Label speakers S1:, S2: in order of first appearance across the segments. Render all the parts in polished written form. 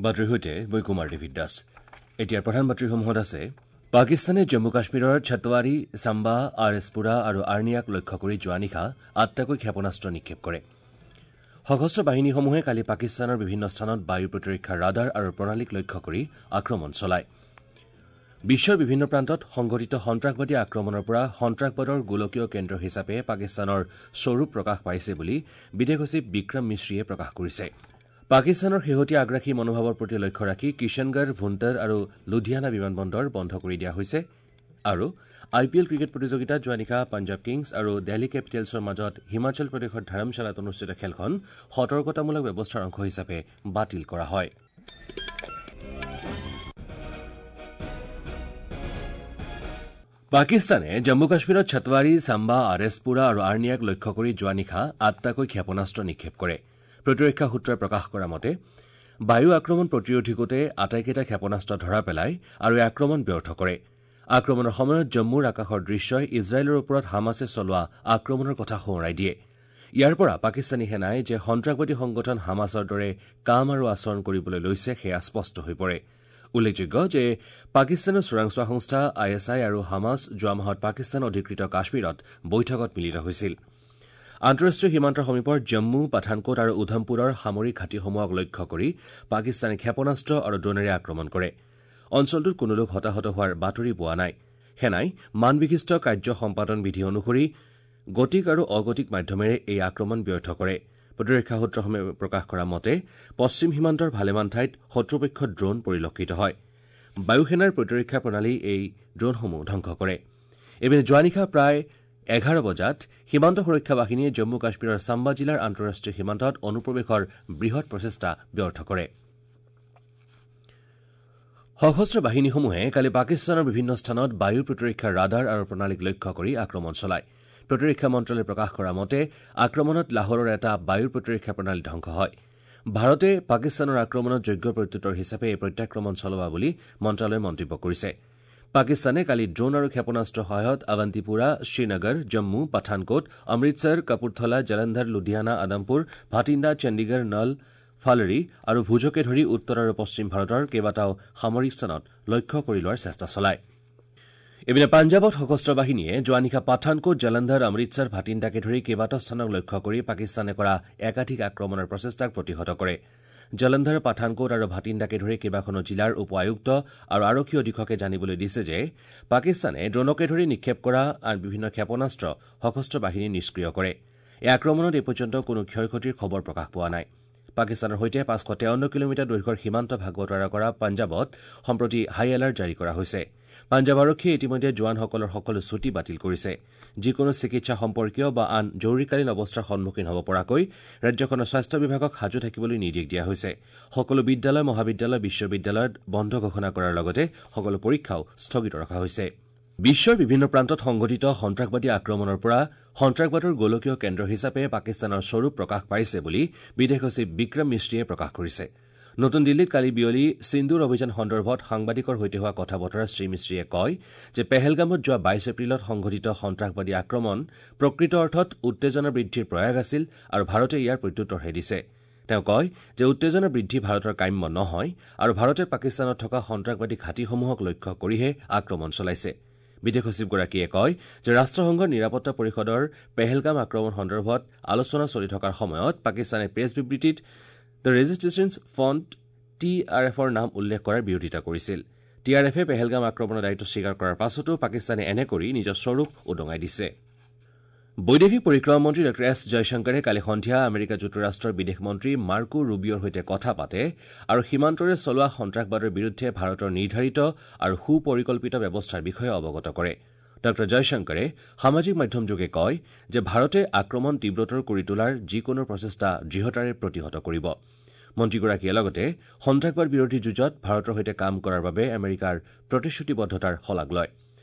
S1: বাতৰিৰ সৈতে মই কুমাৰ ডেভিড দাস। এতিয়াৰ প্ৰধান বাতৰিসমূহত আছে: পাকিস্তানে জম্মু কাশ্মীৰৰ ছতৱাৰী, চাম্বা, আৰ এছ পুৰা আৰু আৰ্নিয়াক লক্ষ্য কৰি যোৱা নিশা ৮টাকৈ ক্ষেপণাস্ত্ৰ নিক্ষেপ কৰে। সশস্ত্ৰ বাহিনীসমূহে কালি পাকিস্তানৰ বিভিন্ন স্থানত বায়ু প্ৰতিৰক্ষা ৰাডাৰ আৰু প্ৰণালীক লক্ষ্য কৰি আক্ৰমণ চলায়। বিশ্বৰ বিভিন্ন প্ৰান্তত সংঘটিত সন্ত্ৰাসবাদী আক্ৰমণৰ পৰা সন্ত্ৰাসবাদৰ গোলকীয় কেন্দ্ৰ হিচাপে পাকিস্তানৰ স্বৰূপ প্ৰকাশ পাইছে বুলি বিদেশ সচিব বিক্ৰম মিশ্ৰীয়ে প্ৰকাশ কৰিছে। পাকিস্তানৰ শেহতীয়া আগ্ৰাসী মনোভাৱৰ প্ৰতি লক্ষ্য ৰাখি কিষাণগড়, ভুণ্টাৰ আৰু লুধিয়ানা বিমানবন্দৰ বন্ধ কৰি দিয়া হৈছে। আৰু আই পি এল ক্ৰিকেট প্ৰতিযোগিতাত যোৱা নিশা পাঞ্জাৱ কিংছ আৰু দিল্লী কেপিটেলছৰ মাজত হিমাচল প্ৰদেশৰ ধৰমশালাত অনুষ্ঠিত খেলখন সতৰ্কতামূলক ব্যৱস্থাৰ অংশ হিচাপে বাতিল কৰা হয়। পাকিস্তানে জম্মু কাশ্মীৰত ছতৱাৰী, চাম্বা, আৰ এছ পুৰা আৰু আৰ্নিয়াক লক্ষ্য কৰি যোৱা নিশা ৮টাকৈ ক্ষেপণাস্ত্ৰ নিক্ষেপ কৰে। প্ৰতিৰক্ষা সূত্ৰই প্ৰকাশ কৰা মতে বায়ু আক্ৰমণ প্ৰতিৰোধী গোটে আটাইকেইটা ক্ষেপণাস্ত্ৰ ধৰা পেলায় আৰু এই আক্ৰমণ ব্যৰ্থ কৰে। আক্ৰমণৰ সময়ত জম্মুৰ আকাশৰ দৃশ্যই ইজৰাইলৰ ওপৰত হামাছে চলোৱা আক্ৰমণৰ কথা সোঁৱৰাই দিয়ে। ইয়াৰ পৰা পাকিস্তানী সেনাই যে সন্ত্ৰাসবাদী সংগঠন হামাছৰ দৰে কাম আৰু আচৰণ কৰিবলৈ লৈছে সেয়া স্পষ্ট হৈ পৰে। উল্লেখযোগ্য যে পাকিস্তানৰ চোৰাংচোৱা সংস্থা I S I আৰু হামাছ যোৱা মাহত পাকিস্তান অধিকৃত কাশ্মীৰত বৈঠকত মিলিত হৈছিল। আন্তঃৰাষ্ট্ৰীয় সীমান্তৰ সমীপৰ জম্মু, পাঠানকোট আৰু উধমপুৰৰ সামৰিক ঘাটিসমূহক লক্ষ্য কৰি পাকিস্তানে ক্ষেপণাস্ত্ৰ আৰু ড্ৰোনেৰে আক্ৰমণ কৰে। অঞ্চলটোত কোনো লোক হতাহত হোৱাৰ বাতৰি পোৱা নাই। সেনাই মানবিশিষ্ট কাৰ্য সম্পাদন বিধি অনুসৰি গতিক আৰু অগতিক মাধ্যমেৰে এই আক্ৰমণ ব্যৰ্থ কৰে। প্ৰতিৰক্ষা সূত্ৰসমূহে প্ৰকাশ কৰা মতে পশ্চিম সীমান্তৰ ভালেমান ঠাইত শত্ৰুপক্ষৰ ড্ৰোন পৰিলক্ষিত হয়। বায়ুসেনাৰ প্ৰতিৰক্ষা প্ৰণালী এই ড্ৰোনসমূহ ধ্বংস কৰে। ইপিনে যোৱা নিশা প্ৰায় ১১ বজাত সীমান্ত সুৰক্ষা বাহিনীয়ে জম্মু কাশ্মীৰৰ চাম্বা জিলাৰ আন্তঃৰাষ্ট্ৰীয় সীমান্তত অনুপ্ৰৱেশৰ বৃহৎ প্ৰচেষ্টা ব্যৰ্থ কৰে। সশস্ত্ৰ বাহিনীসমূহে কালি পাকিস্তানৰ বিভিন্ন স্থানত বায়ু প্ৰতিৰক্ষা ৰাডাৰ আৰু প্ৰণালীক লক্ষ্য কৰি আক্ৰমণ চলায়। প্ৰতিৰক্ষা মন্ত্ৰালয়ে প্ৰকাশ কৰা মতে আক্ৰমণত লাহোৰৰ এটা বায়ু প্ৰতিৰক্ষা প্ৰণালী ধ্বংস হয়। ভাৰতে পাকিস্তানৰ আক্ৰমণত যোগ্য প্ৰত্যুত্তৰ হিচাপে এই প্ৰত্যাক্ৰমণ চলোৱা বুলি মন্ত্ৰালয়ে মন্তব্য কৰিছে। পাকিস্তানে কালি ড্ৰোন আৰু ক্ষেপণাস্ত্ৰৰ সহায়ত আৱন্তিপুৰা, শ্ৰীনগৰ, জম্মু, পাঠানকোট, অমৃতসৰ, কাপুৰথলা, জলন্ধৰ, লুধিয়ানা, আদমপুৰ, ভাটিণ্ডা, চণ্ডীগড়, নল, ফালৰি আৰু ভুজকে ধৰি উত্তৰ আৰু পশ্চিম ভাৰতৰ কেইবাটাও সামৰিক স্থানত লক্ষ্য কৰি লোৱাৰ চেষ্টা চলায়। ইপিনে পাঞ্জাৱত সশস্ত্ৰ বাহিনীয়ে যোৱা নিশা পাঠানকোট, জলন্ধৰ, অমৃতসৰ, ভাটিণ্ডাকে ধৰি কেইবাটাও স্থানক লক্ষ্য কৰি পাকিস্তানে কৰা একাধিক আক্ৰমণৰ প্ৰচেষ্টাক প্ৰতিহত কৰে। জলন্ধৰ, পাঠানকোট আৰু ভাটিণ্ডাকে ধৰি কেইবাখনো জিলাৰ উপ আয়ুক্ত আৰু আৰক্ষী অধীক্ষকে জানিবলৈ দিছে যে পাকিস্তানে ড্ৰোনকে ধৰি নিক্ষেপ কৰা আন বিভিন্ন ক্ষেপণাস্ত্ৰ সশস্ত্ৰ বাহিনীয়ে নিষ্ক্ৰিয় কৰে। এই আক্ৰমণত এই পৰ্যন্ত কোনো ক্ষয় ক্ষতিৰ খবৰ প্ৰকাশ পোৱা নাই। পাকিস্তানৰ সৈতে ৫৫৩ কিলোমিটাৰ দৈৰ্ঘ্যৰ সীমান্ত ভাগ বতৰা কৰা পাঞ্জাৱত সম্প্ৰতি হাই এলাৰ্ট জাৰি কৰা হৈছে। পাঞ্জাৱ আৰক্ষীয়ে ইতিমধ্যে জোৱানসকলৰ সকলো ছুটী বাতিল কৰিছে। যিকোনো চিকিৎসা সম্পৰ্কীয় বা আন জৰুৰীকালীন অৱস্থাৰ সন্মুখীন হ'ব পৰাকৈ ৰাজ্যখনৰ স্বাস্থ্য বিভাগক সাজু থাকিবলৈ নিৰ্দেশ দিয়া হৈছে। সকলো বিদ্যালয়, মহাবিদ্যালয়, বিশ্ববিদ্যালয়ত বন্ধ ঘোষণা কৰাৰ লগতে সকলো পৰীক্ষাও স্থগিত ৰখা হৈছে। বিশ্বৰ বিভিন্ন প্ৰান্তত সংঘটিত সন্ত্ৰাসবাদী আক্ৰমণৰ পৰা সন্ত্ৰাসবাদৰ গোলকীয় কেন্দ্ৰ হিচাপে পাকিস্তানৰ স্বৰূপ প্ৰকাশ পাইছে বুলি বিদেশ সচিব বিক্ৰম মিশ্ৰীয়ে প্ৰকাশ কৰিছে। নতুন দিল্লীত কালি বিয়লি সিন্দুৰ অভিযান সন্দৰ্ভত সাংবাদিকৰ সৈতে হোৱা কথা বতৰাত শ্ৰীমিশ্ৰীয়ে কয় যে পেহেলগামত যোৱা ২২ এপ্ৰিলত সংঘটিত সন্ত্ৰাসবাদী আক্ৰমণ প্ৰকৃত অৰ্থত উত্তেজনা বৃদ্ধিৰ প্ৰয়াস আছিল আৰু ভাৰতে ইয়াৰ প্ৰত্যুত্তৰহে দিছে। তেওঁ কয় যে উত্তেজনা বৃদ্ধি ভাৰতৰ কাম্য নহয় আৰু ভাৰতে পাকিস্তানত থকা সন্ত্ৰাসবাদী ঘাটিসমূহক লক্ষ্য কৰিহে আক্ৰমণ চলাইছে। বিদেশ সচিবগৰাকীয়ে কয় যে ৰাষ্ট্ৰসংঘৰ নিৰাপত্তা পৰিষদৰ পেহেলগাম আক্ৰমণ সন্দৰ্ভত আলোচনা চলি থকাৰ সময়ত পাকিস্তানে প্ৰেছ বিবৃতিত the resistance front T R এফৰ নাম উল্লেখ কৰাৰ বিৰোধিতা কৰিছিল। টি আৰ এফে পেহেলগাম আক্ৰমণৰ দায়িত্ব স্বীকাৰ কৰাৰ পাছতো পাকিস্তানে এনে কৰি নিজৰ স্বৰূপ উদঙাই দিছে। বৈদেশিক পৰিক্ৰমা মন্ত্ৰী ডঃ এছ জয়শংকৰে কালি সন্ধিয়া আমেৰিকা যুক্তৰাষ্ট্ৰৰ বিদেশ মন্ত্ৰী মাৰ্কো ৰুবিঅ'ৰ সৈতে কথা পাতে আৰু সীমান্তৰে চলোৱা সন্ত্ৰাসবাদৰ বিৰুদ্ধে ভাৰতৰ নিৰ্ধাৰিত আৰু সুপৰিকল্পিত ব্যৱস্থাৰ বিষয়ে অৱগত কৰে। ডঃ জয়শংকৰে সামাজিক মাধ্যমযোগে কয় যে ভাৰতে আক্ৰমণ তীব্ৰতৰ কৰি তোলাৰ যিকোনো প্ৰচেষ্টা দৃঢ়তাৰে প্ৰতিহত কৰিব। মন্ত্ৰীগৰাকীয়ে লগতে সন্ত্ৰাসবাদ বিৰোধী যুঁজত ভাৰতৰ সৈতে কাম কৰাৰ বাবে আমেৰিকাৰ প্ৰতিশ্ৰুতিবদ্ধতাৰ শলাগ লয়।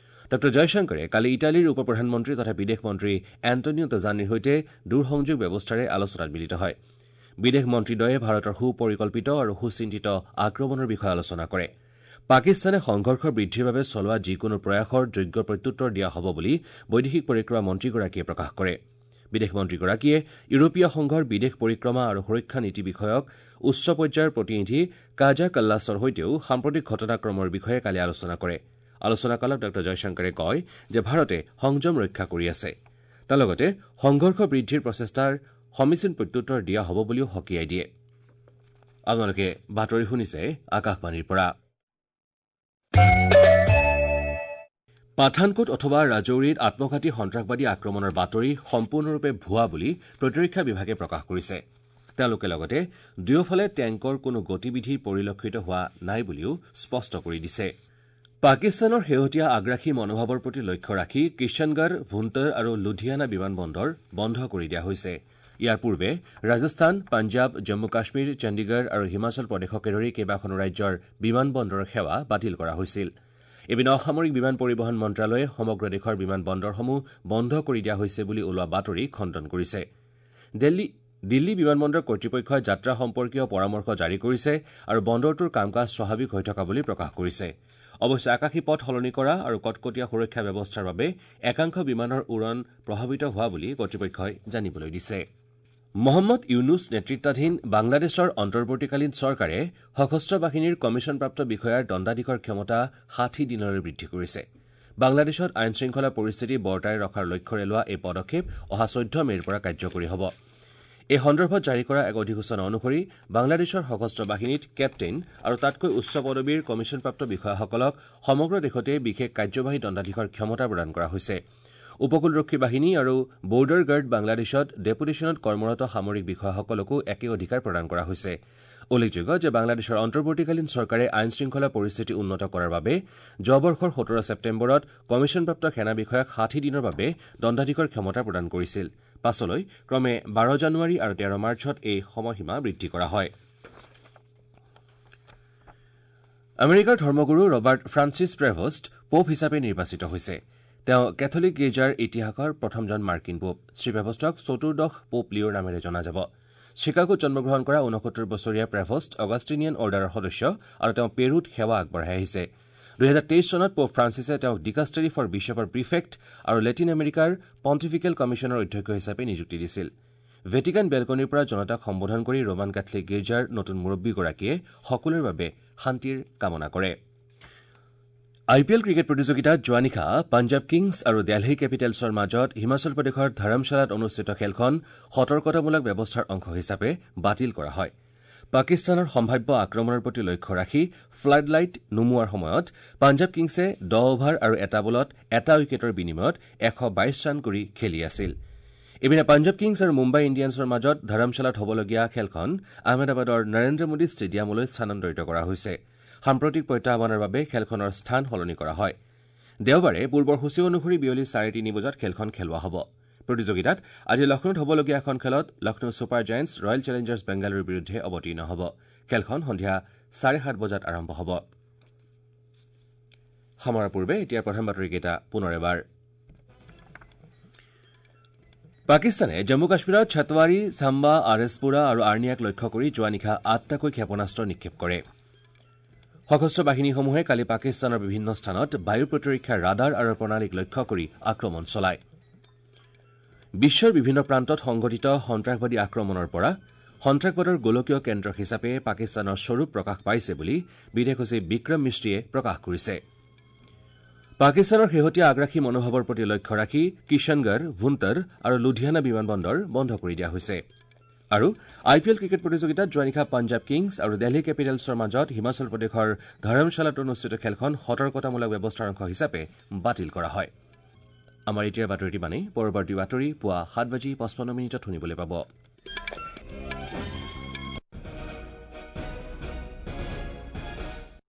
S1: ডঃ জয়শংকৰে কালি ইটালীৰ উপ প্ৰধানমন্ত্ৰী তথা বিদেশ মন্ত্ৰী এণ্টনিও তাজানিৰ সৈতে দূৰসংযোগ ব্যৱস্থাৰে আলোচনাত মিলিত হয়। বিদেশ মন্ত্ৰীদ্বয়ে ভাৰতৰ সুপৰিকল্পিত আৰু সুচিন্তিত আক্ৰমণৰ বিষয়ে আলোচনা কৰে। পাকিস্তানে সংঘৰ্ষ বৃদ্ধিৰ বাবে চলোৱা যিকোনো প্ৰয়াসৰ যোগ্য প্ৰত্যুত্তৰ দিয়া হ'ব বুলি বৈদেশিক পৰিক্ৰমা মন্ত্ৰীগৰাকীয়ে প্ৰকাশ কৰে। বিদেশ মন্ত্ৰীগৰাকীয়ে ইউৰোপীয় সংঘৰ বিদেশ পৰিক্ৰমা আৰু সুৰক্ষা নীতি বিষয়ক উচ্চ পৰ্যায়ৰ প্ৰতিনিধি কাজা কাল্লাছৰ সৈতেও সাম্প্ৰতিক ঘটনাক্ৰমৰ বিষয়ে কালি আলোচনা কৰে। আলোচনাকালত ডাঃ জয়শংকৰে কয় যে ভাৰতে সংযম ৰক্ষা কৰি আছে। তাৰ লগতে সংঘৰ্ষ বৃদ্ধিৰ প্ৰচেষ্টাৰ সমীচীন প্ৰত্যুত্তৰ দিয়া হ'ব বুলিও সকীয়াই দিয়ে। আপোনালোকে বাতৰি শুনিছে আকাশবাণীৰ পৰা। পাঠানকোট অথবা ৰাজৌৰীত আত্মঘাতী সন্ত্ৰাসবাদী আক্ৰমণৰ বাতৰি সম্পূৰ্ণৰূপে ভুৱা বুলি প্ৰতিৰক্ষা বিভাগে প্ৰকাশ কৰিছে। তেওঁলোকে লগতে দুয়োফালে টেংকৰ কোনো গতিবিধি পৰিলক্ষিত হোৱা নাই বুলিও স্পষ্ট কৰি দিছে। পাকিস্তানৰ শেহতীয়া আগ্ৰাসী মনোভাৱৰ প্ৰতি লক্ষ্য ৰাখি কিষাণগড়, ভুন্তৰ আৰু লুধিয়ানা বিমানবন্দৰ বন্ধ কৰি দিয়া হৈছে। ইয়াৰ পূৰ্বে ৰাজস্থান, পাঞ্জাৱ, জম্মু কাশ্মীৰ, চণ্ডীগড় আৰু হিমাচল প্ৰদেশকে ধৰি কেইবাখনো ৰাজ্যৰ বিমানবন্দৰৰ সেৱা বাতিল কৰা হৈছিল। ইপিনে অসামৰিক বিমান পৰিবহণ মন্ত্ৰালয়ে সমগ্ৰ দেশৰ বিমান বন্দৰসমূহ বন্ধ কৰি দিয়া হৈছে বুলি ওলোৱা বাতৰি খণ্ডন কৰিছে। দিল্লী বিমানবন্দৰ কৰ্তৃপক্ষই যাত্ৰা সম্পৰ্কীয় পৰামৰ্শ জাৰি কৰিছে আৰু বন্দৰটোৰ কাম কাজ স্বাভাৱিক হৈ থকা বুলি প্ৰকাশ কৰিছে। অৱশ্যে আকাশী পথ সলনি কৰা আৰু কটকটীয়া সুৰক্ষা ব্যৱস্থাৰ বাবে একাংশ বিমানৰ উৰণ প্ৰভাৱিত হোৱা বুলি কৰ্তৃপক্ষই জানিবলৈ দিছে। মহম্মদ ইউনুছ নেতৃত্বাধীন বাংলাদেশৰ অন্তৰ্বৰ্তীকালীন চৰকাৰে সশস্ত্ৰ বাহিনীৰ কমিছনপ্ৰাপ্ত বিষয়াৰ দণ্ডাধীশৰ ক্ষমতা ৬০ দিনলৈ বৃদ্ধি কৰিছে। বাংলাদেশত আইন শৃংখলা পৰিস্থিতি বৰ্তাই ৰখাৰ লক্ষ্যৰে লোৱা এই পদক্ষেপ অহা ১৪ মে'ৰ পৰা কাৰ্যকৰী হ'ব। এই সন্দৰ্ভত জাৰি কৰা এক অধিসূচনা অনুসৰি বাংলাদেশৰ সশস্ত্ৰ বাহিনীত কেপ্টেইন আৰু তাতকৈ উচ্চ পদবীৰ কমিছনপ্ৰাপ্ত বিষয়াসকলক সমগ্ৰ দেশতে বিশেষ কাৰ্যবাহী দণ্ডাধীশৰ ক্ষমতা প্ৰদান কৰা হৈছে। উপকূলৰক্ষী বাহিনী আৰু বৰ্ডাৰ গাৰ্ড বাংলাদেশত ডেপুটেশ্যনত কৰ্মৰত সামৰিক বিষয়াসকলকো একে অধিকাৰ প্ৰদান কৰা হৈছে। উল্লেখযোগ্য যে বাংলাদেশৰ অন্তৰ্বৰ্তীকালীন চৰকাৰে আইন শৃংখলা পৰিস্থিতি উন্নত কৰাৰ বাবে যোৱা বৰ্ষৰ ১৭ ছেপ্টেম্বৰত কমিছনপ্ৰাপ্ত সেনা বিষয়াক ৬০ দিনৰ বাবে দণ্ডাধীশৰ ক্ষমতা প্ৰদান কৰিছিল। পাছলৈ ক্ৰমে ১২ জানুৱাৰী আৰু ১৩ মাৰ্চত এই সময়সীমা বৃদ্ধি কৰা হয়। আমেৰিকাৰ ধৰ্মগুৰু ৰবাৰ্ট ফ্ৰান্সিছ প্ৰেভষ্ট পোপ হিচাপে নিৰ্বাচিত হৈছে। তেওঁ কেথলিক গীৰ্জাৰ ইতিহাসৰ প্ৰথমজন মাৰ্কিন পোপ। শ্ৰীপ্ৰেভষ্টক চতুৰ্দশ পোপ লিঅ'ৰ নামেৰে জনা যাব। চিকাগোত জন্মগ্ৰহণ কৰা ৬৯ বছৰীয়া প্ৰেভষ্ট অগাষ্টিনিয়ান অৰ্ডাৰৰ সদস্য আৰু তেওঁ পেৰুত সেৱা আগবঢ়াই আহিছে। ২০২৩ চনত পোপ ফ্ৰান্সিছে তেওঁক ডিকাষ্টেৰী ফৰ বিশ্বপৰ প্ৰিফেক্ট আৰু লেটিন আমেৰিকাৰ পণ্টিফিকেল কমিছনৰ অধ্যক্ষ হিচাপে নিযুক্তি দিছিল। ভেটিকান বেলকনিৰ পৰা জনতাক সম্বোধন কৰি ৰোমান কেথলিক গীৰ্জাৰ নতুন মুৰব্বীগৰাকীয়ে সকলোৰে বাবে শান্তিৰ কামনা কৰে। আই পি এল ক্ৰিকেট প্ৰতিযোগিতাত যোৱা নিশা পাঞ্জাৱ কিংছ আৰু দেলহি কেপিটেলছৰ মাজত হিমাচল প্ৰদেশৰ ধৰমশালাত অনুষ্ঠিত খেলখন সতৰ্কতামূলক ব্যৱস্থাৰ অংশ হিচাপে বাতিল কৰা হয়। পাকিস্তানৰ সম্ভাৱ্য আক্ৰমণৰ প্ৰতি লক্ষ্য ৰাখি ফ্লাড লাইট নুমুৱাৰ সময়ত পাঞ্জাৱ কিংছে ১০ অভাৰ আৰু এটা বলত এটা উইকেটৰ বিনিময়ত ১২২ ৰান কৰি খেলি আছিল। ইপিনে পাঞ্জাৱ কিংছ আৰু মুম্বাই ইণ্ডিয়ানছৰ মাজত ধৰমশালাত হ'বলগীয়া খেলখন আহমেদাবাদৰ নৰেন্দ্ৰ মোদী ষ্টেডিয়ামলৈ স্থানান্তৰিত কৰা হৈছে। সাম্প্ৰতিক প্ৰত্যাহ্বানৰ বাবে খেলখনৰ স্থান সলনি কৰা হয়। দেওবাৰে পূৰ্বৰ সূচী অনুসৰি বিয়লি ৩:৩০ বজাত খেলখন খেলোৱা হ'ব। প্ৰতিযোগিতাত আজি লক্ষ্ণৌত হ'বলগীয়া এখন খেলত Lucknow super giants royal challengers বেংগালুৰুৰ বিৰুদ্ধে অৱতীৰ্ণ হ'ব। খেলখন সন্ধিয়া ৭:৩০ বজাত আৰম্ভ হ'ব। সামৰাৰ পূৰ্বে এতিয়া প্ৰধান বাতৰিকেইটা পুনৰ এবাৰ। পাকিস্তানে জম্মু কাশ্মীৰত ছতৱাৰী, ছাম্বা, আৰএছপুৰা আৰু আৰ্নিয়াক লক্ষ্য কৰি যোৱা নিশা ৮টাকৈ ক্ষেপণাস্ত্ৰ নিক্ষেপ কৰে। সশস্ত্ৰ বাহিনীসমূহে কালি পাকিস্তানৰ বিভিন্ন স্থানত বায়ু প্ৰতিৰক্ষা ৰাডাৰ আৰু প্ৰণালীক লক্ষ্য কৰি আক্ৰমণ চলায়। বিশ্বৰ বিভিন্ন প্ৰান্তত সংঘটিত সন্ত্ৰাসবাদী আক্ৰমণৰ পৰা সন্ত্ৰাসবাদৰ গোলকীয় কেন্দ্ৰ হিচাপে পাকিস্তানৰ স্বৰূপ প্ৰকাশ পাইছে বুলি বিদেশ সচিব বিক্ৰম মিশ্ৰীয়ে প্ৰকাশ কৰিছে। পাকিস্তানৰ শেহতীয়া আগ্ৰাসী মনোভাৱৰ প্ৰতি লক্ষ্য ৰাখি কিষাণগড়, ভুন্তৰ আৰু লুধিয়ানা বিমানবন্দৰ বন্ধ কৰি দিয়া হৈছে। আৰু আই পি এল ক্ৰিকেট প্ৰতিযোগিতাত যোৱা নিশা পাঞ্জাৱ কিংছ আৰু দেলহি কেপিটেলছৰ মাজত হিমাচল প্ৰদেশৰ ধৰমশালাত অনুষ্ঠিত খেলখন সতৰ্কতামূলক ব্যৱস্থাৰ অংশ হিচাপে বাতিল কৰা হয়। আমাৰ এতিয়াৰ বাতৰিটি মানেই। পৰৱৰ্তী বাতৰি পুৱা ৭:৫৫ শুনিবলৈ পাব।